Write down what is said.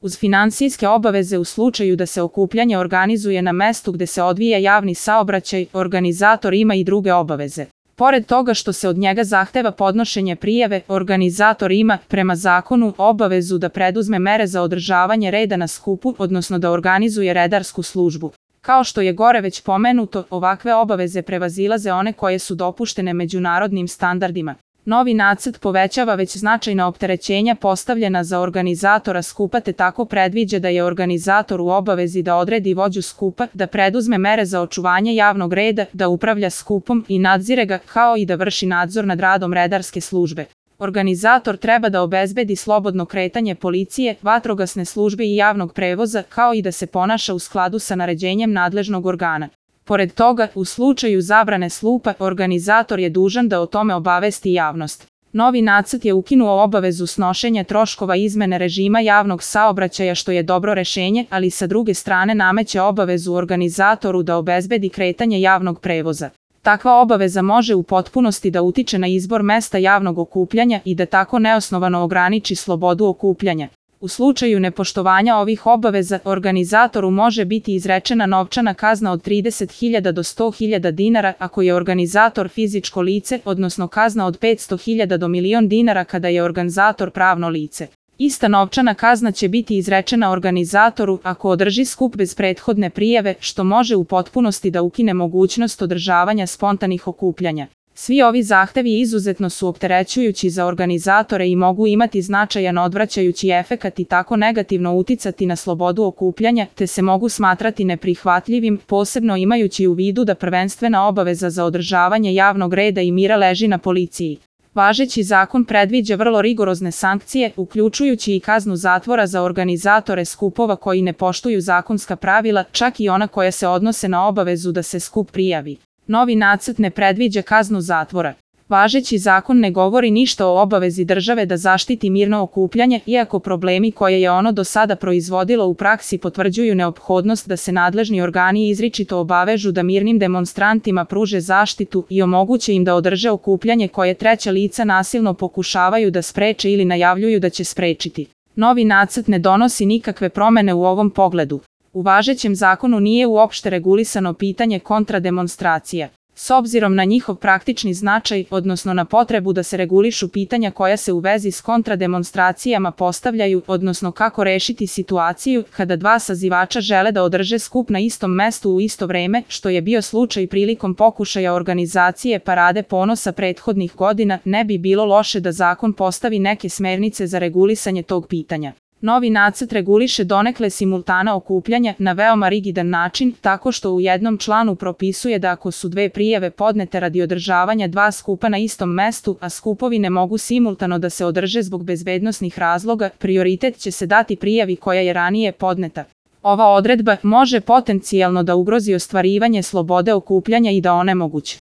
Uz finansijske obaveze u slučaju da se okupljanje organizuje na mestu gde se odvija javni saobraćaj, organizator ima i druge obaveze. Pored toga što se od njega zahteva podnošenje prijave, organizator ima, prema zakonu, obavezu da preduzme mere za održavanje reda na skupu, odnosno da organizuje redarsku službu. Kao što je gore već pomenuto, ovakve obaveze prevazilaze one koje su dopuštene međunarodnim standardima. Novi nacrt povećava već značajna opterećenja postavljena za organizatora skupa te tako predviđa da je organizator u obavezi da odredi vođu skupa, da preduzme mere za očuvanje javnog reda, da upravlja skupom i nadzire ga, kao i da vrši nadzor nad radom redarske službe. Organizator treba da obezbedi slobodno kretanje policije, vatrogasne službe i javnog prevoza, kao i da se ponaša u skladu sa naređenjem nadležnog organa. Pored toga, u slučaju zabrane slupa, organizator je dužan da o tome obavesti javnost. Novi nacrt je ukinuo obavezu snošenja troškova izmene režima javnog saobraćaja, što je dobro rešenje, ali sa druge strane nameće obavezu organizatoru da obezbedi kretanje javnog prevoza. Takva obaveza može u potpunosti da utiče na izbor mesta javnog okupljanja i da tako neosnovano ograniči slobodu okupljanja. U slučaju nepoštovanja ovih obaveza, organizatoru može biti izrečena novčana kazna od 30.000 do 100.000 dinara ako je organizator fizičko lice, odnosno kazna od 500.000 do 1.000.000 dinara kada je organizator pravno lice. Ista novčana kazna će biti izrečena organizatoru ako održi skup bez prethodne prijave, što može u potpunosti da ukine mogućnost održavanja spontanih okupljanja. Svi ovi zahtevi izuzetno su opterećujući za organizatore i mogu imati značajan odvraćajući efekat i tako negativno uticati na slobodu okupljanja, te se mogu smatrati neprihvatljivim, posebno imajući u vidu da prvenstvena obaveza za održavanje javnog reda i mira leži na policiji. Važeći zakon predviđa vrlo rigorozne sankcije, uključujući i kaznu zatvora za organizatore skupova koji ne poštuju zakonska pravila, čak i ona koja se odnose na obavezu da se skup prijavi. Novi nacrt ne predviđa kaznu zatvora. Važeći zakon ne govori ništa o obavezi države da zaštiti mirno okupljanje, iako problemi koje je ono do sada proizvodilo u praksi potvrđuju neophodnost da se nadležni organi izričito obavežu da mirnim demonstrantima pruže zaštitu i omoguće im da održe okupljanje koje treća lica nasilno pokušavaju da spreče ili najavljuju da će sprečiti. Novi nacrt ne donosi nikakve promene u ovom pogledu. U važećem zakonu nije uopšte regulisano pitanje kontrademonstracija. S obzirom na njihov praktični značaj, odnosno na potrebu da se regulišu pitanja koja se u vezi s kontrademonstracijama postavljaju, odnosno kako rešiti situaciju kada dva sazivača žele da održe skup na istom mestu u isto vreme, što je bio slučaj prilikom pokušaja organizacije Parade ponosa prethodnih godina, ne bi bilo loše da zakon postavi neke smernice za regulisanje tog pitanja. Novi nacrt reguliše donekle simultana okupljanja na veoma rigidan način, tako što u jednom članu propisuje da ako su dve prijave podnete radi održavanja dva skupa na istom mestu, a skupovi ne mogu simultano da se održe zbog bezbednosnih razloga, prioritet će se dati prijavi koja je ranije podneta. Ova odredba može potencijalno da ugrozi ostvarivanje slobode okupljanja i da onemogući